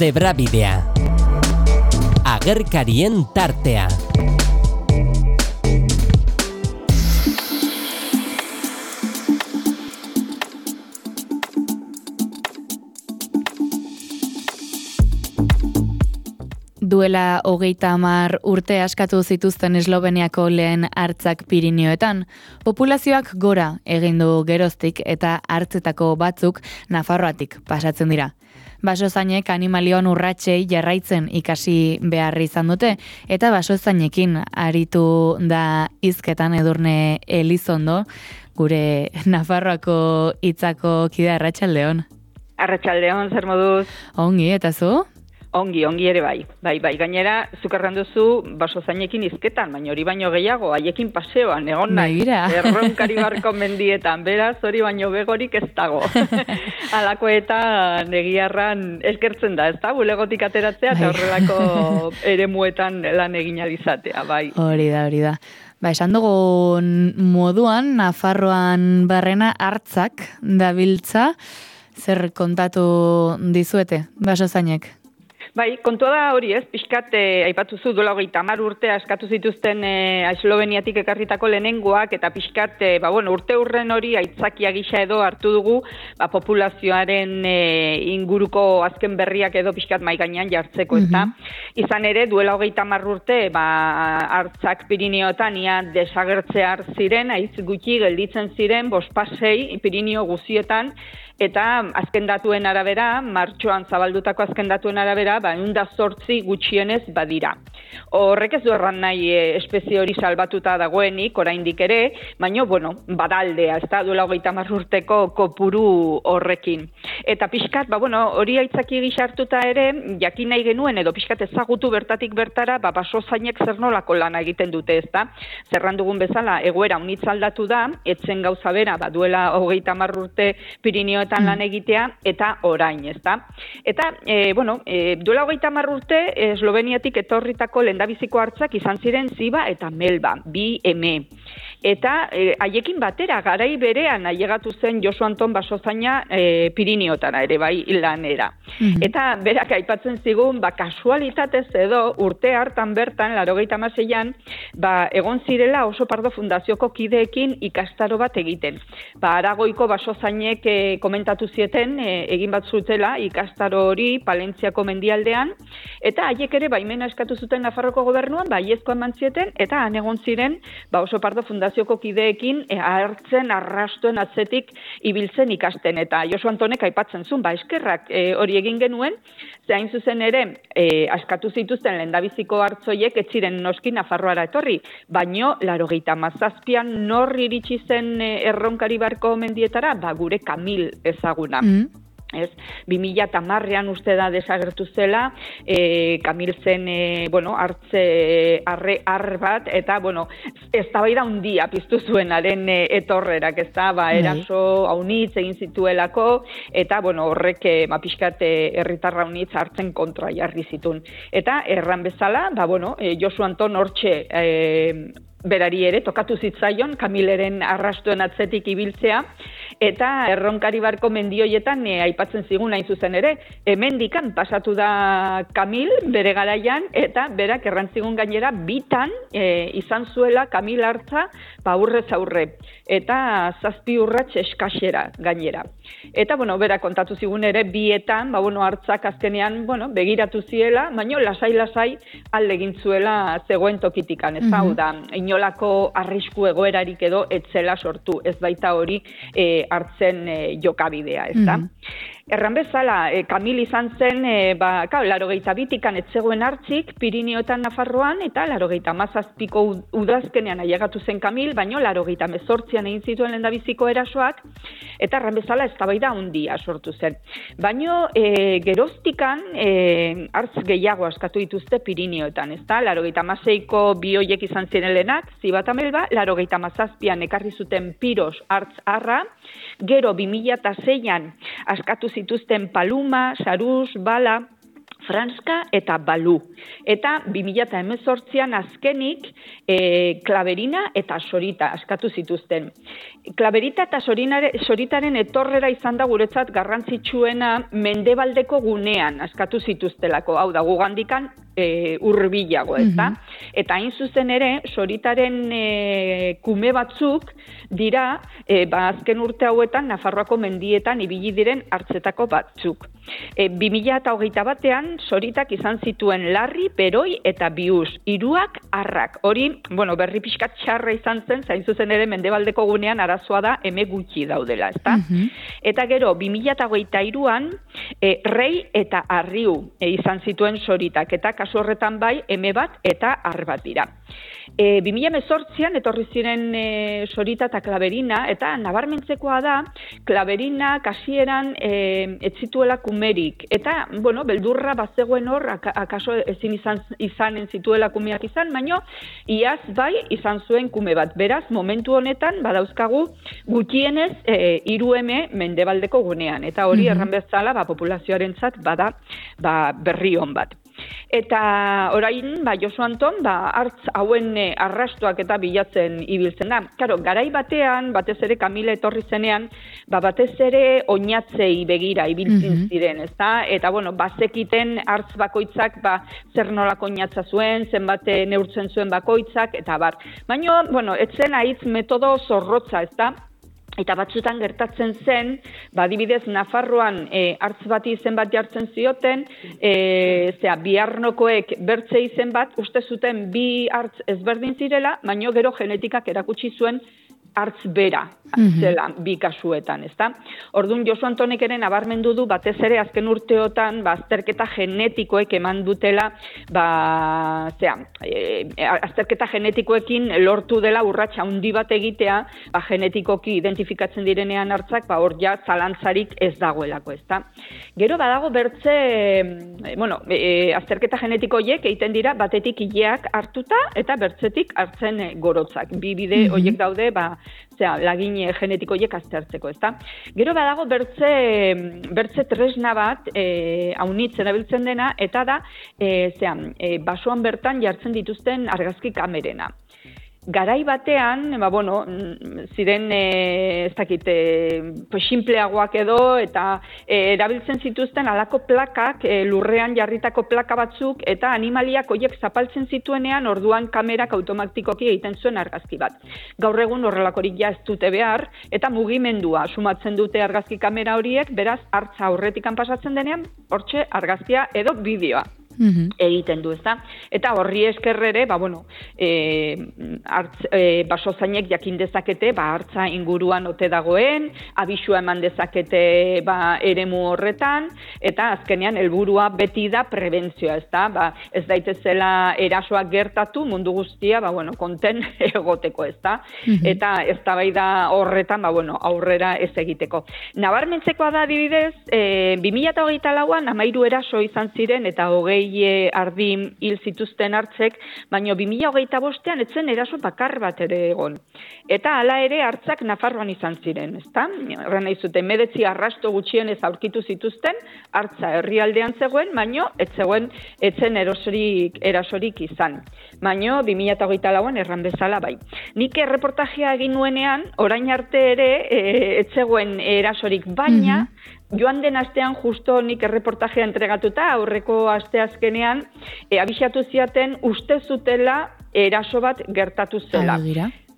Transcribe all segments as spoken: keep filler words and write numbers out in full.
Zebrabidea. Agerkarien tartea. Duela hogeita hamar urte askatu zituzten Esloveniako lehen hartzak Pirinioetan. Populazioak gora egin du geroztik eta hartzetako batzuk Nafarroatik pasatzen dira. Basozainek animalioan urratsei jarraitzen ikasi behar izan dute eta basozainekin aritu da hizketan Edurne Elizondo, gure Nafarroako hitzako kide. Arratsaldeon. Arratsaldeon, zer moduz? Ongi, eta zu? Ongi, ongi ere bai. Bai, bai, gainera, zuk erran duzu basozainekin hizketan, baina hori baino gehiago, haiekin paseoan, egon nahi. Erronkari barko mendietan, beraz, hori baino begorik ez dago. Alakoetan egiarran eskertzen da, ez da? Bulegotik ateratzea, eta horrelako eremuetan lan egin alizatea, bai. Hori da, hori da. Ba, esan dugun moduan, Nafarroan barrena hartzak dabiltza, zer kontatu dizuete, basozainek? Bai, kontua da hori ez, pixkat, eh, aipatu zu duela hogeita hamar urte askatu zituzten eh, Esloveniatik ekarritako lehenengoak, eta pixkat, eh, ba, bueno, urte urren hori aitzakia gisa edo hartu dugu, ba, populazioaren eh, inguruko azken berriak edo pixkat mai gainean jartzeko, ez da. Izan ere, duela hogeita hamar urte, ba, hartzak Pirinioetan ia desagertzear ziren, aiz gutxi gelditzen ziren, bospasei Pirinio guzietan, eta azken datuen arabera, martxoan zabaldutako azken datuen arabera, ba, ehun eta zortzi gutxienez badira. Horrek ez du erran nahi e, espezie hori salbatuta dagoenik, oraindik ere, baina, bueno, badaldea, ez da, duela hogeita hamar urteko kopuru horrekin. Eta pixkat, ba, bueno, hori aitzaki gisa hartuta ere, jakin nahi genuen, edo pixkat ezagutu bertatik bertara, ba, basozainek zer nolako lana egiten dute, ez da. Zerran dugun bezala, egoera unitz aldatu da, etzen gauza bera, ba, duela hogeita hamar urte Pirinio eta lan egitea, eta orain, ez da. Eta, e, bueno, e, duela hogeita hamar urte, Esloveniatik etorritako lehendabiziko hartzak izan ziren Ziba eta Melba, bi eme. Eta e, haiekin batera, garai berean ailegatu zen Josu Anton basozaina e, Pirinioetara ere, bai, lanera. Mm-hmm. Eta berak aipatzen zigun, ba, kasualitatez edo, urte hartan bertan, laurogeita hamaseian, ba, egon zirela Oso Pardo Fundazioko kideekin ikastaro bat egiten. Ba, Aragoiko basozainek e, komentatu zieten, e, egin bat zutela ikastaro hori Palentziako mendialdean, eta haiek ere baimena eskatu zuten Nafarroko gobernuan, ba, haiezko eman zieten, eta han egon ziren, ba, Oso Pardo Fundazioko kideekin e, hartzen, arrastuen atzetik ibiltzen ikasten, eta Josu Antonek aipatzen zuen, ba, eskerrak e, hori egin genuen, ze hain zuzen ere, e, askatu zituzten lehendabiziko hartzoiek ez ziren noski Nafarroara etorri, baino, laurogeita hamazazpian nor iritsi zen e, erronkari barko mendietara, ba, gure Kamil ezaguna. Mm. Ez, bi mila hamarrean uste da desagertu zela, e, Kamil zen, e, bueno, hartze arre ar bat, eta, bueno, ez da bai da hundia piztu zuenaren e, etorrerak, ez da, ba, eraso haunitz egin zituelako, eta, bueno, horrek, e, ma pixkat, herritarra haunitz hartzen kontra jarri zitun. Eta, erran bezala, ba, bueno, e, Josu Anton hortxe, e, berari ere, tokatu zitzaion, Kamileren arrastuen atzetik ibiltzea, eta erronkari barko mendioietan e, aipatzen zigun hain zuzen ere, hemendikan pasatu da Kamil bere garaian, eta berak errantzigun gainera bitan e, izan zuela Kamil hartza aurrez aurre, eta zazpi urrats eskasera gainera. Eta, bueno, berak kontatu zigun ere, bietan, ba, bueno, hartzak azkenean, bueno, begiratu ziela, baina lasai-lasai alde egin zuela zegoen tokitikan, ez hau da, inolako arrisku egoerarik edo etzela sortu, ez baita hori e, hartzen e, jokabidea, ez da. Mm-hmm. Erran bezala, e, Kamil izan zen, e, ba, kao, laurogeita bitikan etzegoen hartzik, Pirinioetan Nafarroan, eta laurogeita hamazazpiko udazkenean ailegatu zen Kamil, baino laurogeita hemezortzian egin zituen lehendabiziko erasoak, eta erran bezala eztabaida handia sortu zen. Baino, e, geroztikan, e, hartz gehiago askatu dituzte Pirinioetan, ez da, laurogeita hamaseiko bi hoiek izan ziren lehenak, Ziba eta Melba, laurogeita hamazazpian ekarri zuten Piros hartz arra, gero bi mila seian askatu zituzten Paluma, Saruz, Bala, Franska eta Balu. Eta bi mila hemezortzian azkenik e, Klaberina eta Sorita askatu zituzten. Klaberita eta Sorinare, Soritaren etorrera izan da guretzat garrantzitsuena mendebaldeko gunean askatu zituztelako. Hau da, gugandikan e, urbilago, ez da? Mm-hmm. Eta hain zuzen ere, Soritaren e, kume batzuk dira, e, ba, azken urte hauetan Nafarroako mendietan ibili diren hartzetako batzuk. E, bi mila hogeita batean Soritak izan zituen Larri, Beroi eta Bius, hiruak arrak. Hori, bueno, berri pixkat txarra izan zen, zain zuzen ere mendebaldeko gunean arazoa da eme gutxi daudela, ezta? Mm-hmm. Eta gero, bi mila hogeita hiruan e, Rei eta Arriu e, izan zituen Soritak, eta kasu horretan bai eme bat eta ar bat dira. E, bi mila hemezortzian etorri ziren e, Sorita eta Klaberina, eta nabarmentzekoa da, Klaberina kasieran e, ez zituela kumerik, eta, bueno, beldurra bazegoen hor, akaso ezin izan, izanen zituela kumeak izan, baino, iaz bai izan zuen kume bat. Beraz, momentu honetan, badauzkagu, gutxienez, e, hiru eme mendebaldeko gunean, eta hori mm-hmm. erran bezala, ba, populazioarentzat bada ba, berri on bat. Eta orain, ba, Josu Anton, ba, hartz hauen e, arrastoak eta bilatzen ibiltzen da. Karo, garai batean, batez ere Kamila etorri zenean, ba, batez ere oinatzei begira ibiltzen mm-hmm. ziren, ezta? Eta, bueno, bazekiten hartz bakoitzak, ba, zer nolako oinatza zuen, zenbat neurtzen zuen bakoitzak, eta bar. Baina, bueno, etzen haitz metodo zorrotza, ezta? Eta batzutan gertatzen zen, ba, adibidez Nafarroan e, hartz bati izen bat jartzen zioten, e, zera, biharnokoek bertze izen bat, uste zuten bi hartz ezberdin zirela, baino gero genetikak erakutsi zuen hartz bera zela mm-hmm. bi kasuetan, ezta? Orduan Josu Antonek ere nabarmendu du batez ere azken urteotan ba, azterketa genetikoek eman dutela, ba, zera, e, azterketa genetikoekin lortu dela urrats handi bat egitea, ba, genetikoki identifikatzen direnean hartzak, ba, hor ja zalantzarik ez dagoelako, ezta? Gero badago bertze, e, bueno, e, azterketa genetiko horiek egiten dira batetik ileak hartuta eta bertzetik hartzen e, gorotzak. Bi bide mm-hmm. horiek daude, ba, zera, lagin genetiko horiek aztertzeko, ezta? Gero badago bertze, bertze tresna bat, e, haunitz erabiltzen dena, eta da, e, zera, e, basoan bertan jartzen dituzten argazki kamerena. Garai batean, ba, bueno, ziren, e, ez dakit, e, pues, simpleagoak edo, eta e, erabiltzen zituzten alako plakak, e, lurrean jarritako plaka batzuk, eta animaliak horiek zapaltzen zituenean, orduan kamerak automatikoki egiten zuen argazki bat. Gaur egun horrelakorik ja ez dute behar, eta mugimendua sumatzen dute argazki kamera horiek, beraz, hartza aurretikan pasatzen denean, hortxe argazkia edo bideoa. Mm-hmm. egiten du, ezta? Eta horri esker ere, ba, bueno, e, hartz, e, basozainek jakin dezakete, ba, hartza inguruan ote dagoen, abisua eman dezakete, ba, eremu horretan, eta azkenean helburua beti da prebentzioa, ezta? Ba, ez daitezela erasoak gertatu mundu guztia, ba, bueno, konten egoteko, ezta? Mm-hmm. Eta ez da bai da horretan, ba, bueno, aurrera ez egiteko. Nabarmentzekoa da adibidez, e, bi mila hogeita lauan hamairu eraso izan ziren, eta hogei ardi hil zituzten hartzek, baina bi mila hogeita bostean etzen eraso bakar bat ere egon. Eta hala ere hartzak Nafarroan izan ziren, ezta? Horren nahi zuten, medetzi arrasto gutxienez aurkitu zituzten, hartza herrialdean zegoen, baina ez zegoen etzen erosorik, erasorik izan. Baina bi mila hogeita lauan erran bezala bai. Nik erreportajea egin nuenean, orain arte ere ez zegoen erasorik, baina mm-hmm. joan den astean justo nik erreportajea entregatuta, aurreko asteazkenean, e, abixatu ziaten uste zutela eraso bat gertatu zela.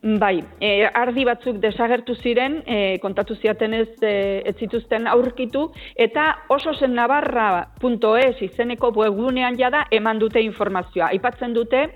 Bai, e, ardi batzuk desagertu ziren, e, kontatu ziatenez e, ez zituzten aurkitu, eta oso zen navarra punto es izeneko webgunean jada eman dute informazioa. Aipatzen dute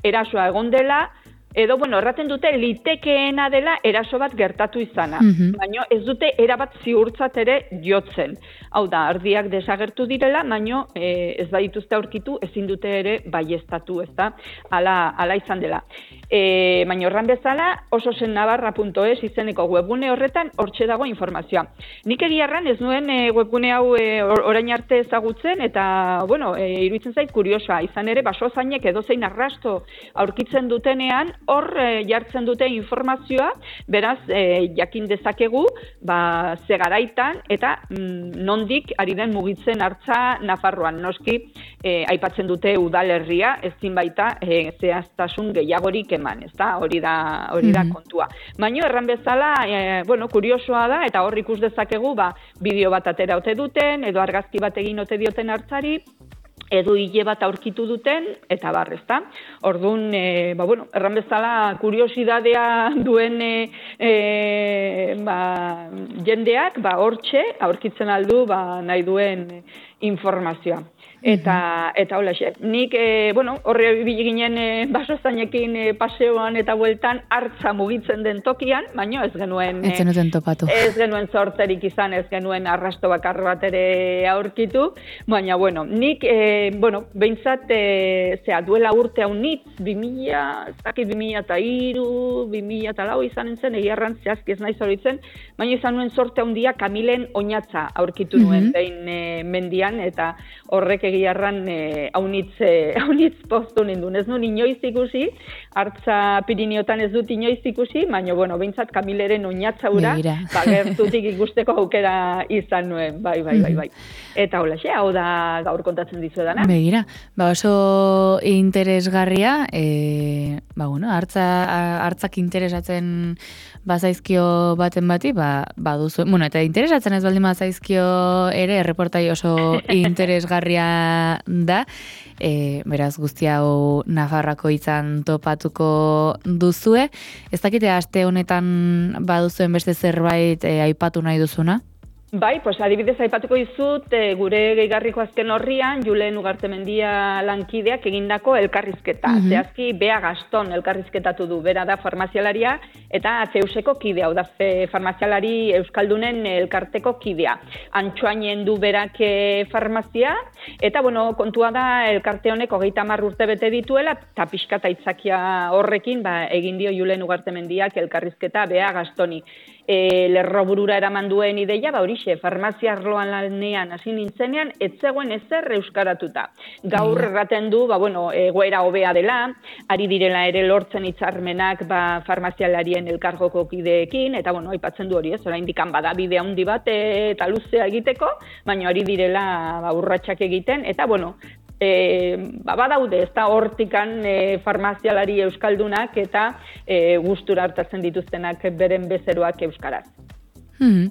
erasoa egon dela, edo, bueno, erraten dute litekeena dela eraso bat gertatu izana. Mm-hmm. Baina ez dute erabat ziurtzat ere jotzen. Hau da, ardiak desagertu direla, baina e, ez badituzte aurkitu, ezin dute ere baieztatu, ez da, ala, ala izan dela. E, baina horran bezala, oso zen navarra punto es izeneko webgune horretan hortxe dago informazioa. Nik egiarran ez nuen e, webgune hau e, orain arte ezagutzen, eta, bueno, e, iruditzen zait kuriosa, izan ere, basozainek edozein arrasto aurkitzen dutenean, hor e, jartzen dute informazioa, beraz, e, jakin dezakegu, ba, ze garaitan, eta mm, nondik ari den mugitzen hartza Nafarroan. Noski, e, aipatzen dute udalerria, ezin baita e, zehaztasun gehiagorik eman, ezta? Hori da, hori da kontua. Baina erran bezala, e, bueno, kuriosoa da, eta hor ikus dezakegu, ba, bideo bat atera ote duten, edo argazki bat egin ote dioten hartzari, edo hile bat aurkitu duten, eta bar, ezta? Orduan, e, ba, bueno, erran bezala, kuriosidadea duen e, e, ba, jendeak, ba, hortxe, aurkitzen aldu, ba, nahi duen informazioa. Eta, eta hola, xe. Nik, e, bueno, horre ibili ginen e, basozainekin e, paseoan eta bueltan hartza mugitzen den tokian, baina ez genuen... Ez zenuten topatu. Ez genuen sorterik izan, ez genuen arrasto bakar bat ere aurkitu, baina, bueno, nik, e, bueno, behintzat, e, zera, duela urte hau nitz, bimila, ez dakit bimila eta iru, bimila eta lau izan zen, egiarran zehazki ez nahi zoritzen, baina izan nuen sorte handia Kamilen oinatza aurkitu nuen, mm-hmm. behin e, mendian, eta horrek egiarran e, haunitz, e, haunitz poztu nindun. Ez nuen inoiz ikusi, hartza Piriniotan ez dut inoiz ikusi, baina, bueno, behintzat Kamileren oinatza ura, ba, gertutik ikusteko aukera izan nuen, bai, bai, bai, bai. Eta hola, xe, hau da gaur kontatzen dizuedana. Begira, ba oso interesgarria, e, ba, bueno, hartza, hartzak interesatzen bazaizkio baten bati, ba, ba duzu, bueno, eta interesatzen ez baldin bazaizkio ere, erreportai oso interesgarria da, e, beraz guzti hau Nafarroako izan topatuko duzue. Ez dakite aste honetan baduzuen beste zerbait e, aipatu nahi duzuna? Bai, pues adibidez aipatuko dizut, e, gure gehigarriko azken horrian, Julen Ugartemendia lankideak egindako elkarrizketa. Mm-hmm. Zehazki, Bea Gaston elkarrizketatu du, bera da farmazialaria, eta Zeuseko kidea, hau da farmazialari euskaldunen elkarteko kidea. Antxoainen du berak farmazia, eta bueno, kontua da elkarte honek hogeita hamar urte bete dituela, eta pixkata aitzakia horrekin, ba, egin dio Julen Ugartemendiak elkarrizketa Bea Gastoni. E, lerro burura eraman duen ideia, ba horixe, farmazia arloan lanean hasi nintzenean, ez zegoen ezer euskaratuta. Gaur erraten du, ba bueno, egoera hobea dela, ari direla ere lortzen hitzarmenak ba farmazialarien elkargoko kideekin, eta bueno, aipatzen du hori, ez, oraindik bada bide handi bat eta luzea egiteko, baina ari direla ba urratsak egiten, eta bueno, E, ba, badaude, ez da hortikan e, farmazialari euskaldunak eta e, gustura hartatzen dituztenak beren bezeroak euskaraz. Hmm.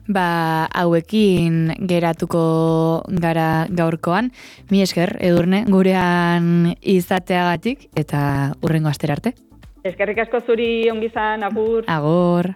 Ba, hauekin geratuko gara gaurkoan. Mi esker, Edurne, gurean izateagatik eta hurrengo astera arte. Eskerrik asko zuri, ongi izan, agur. Agur.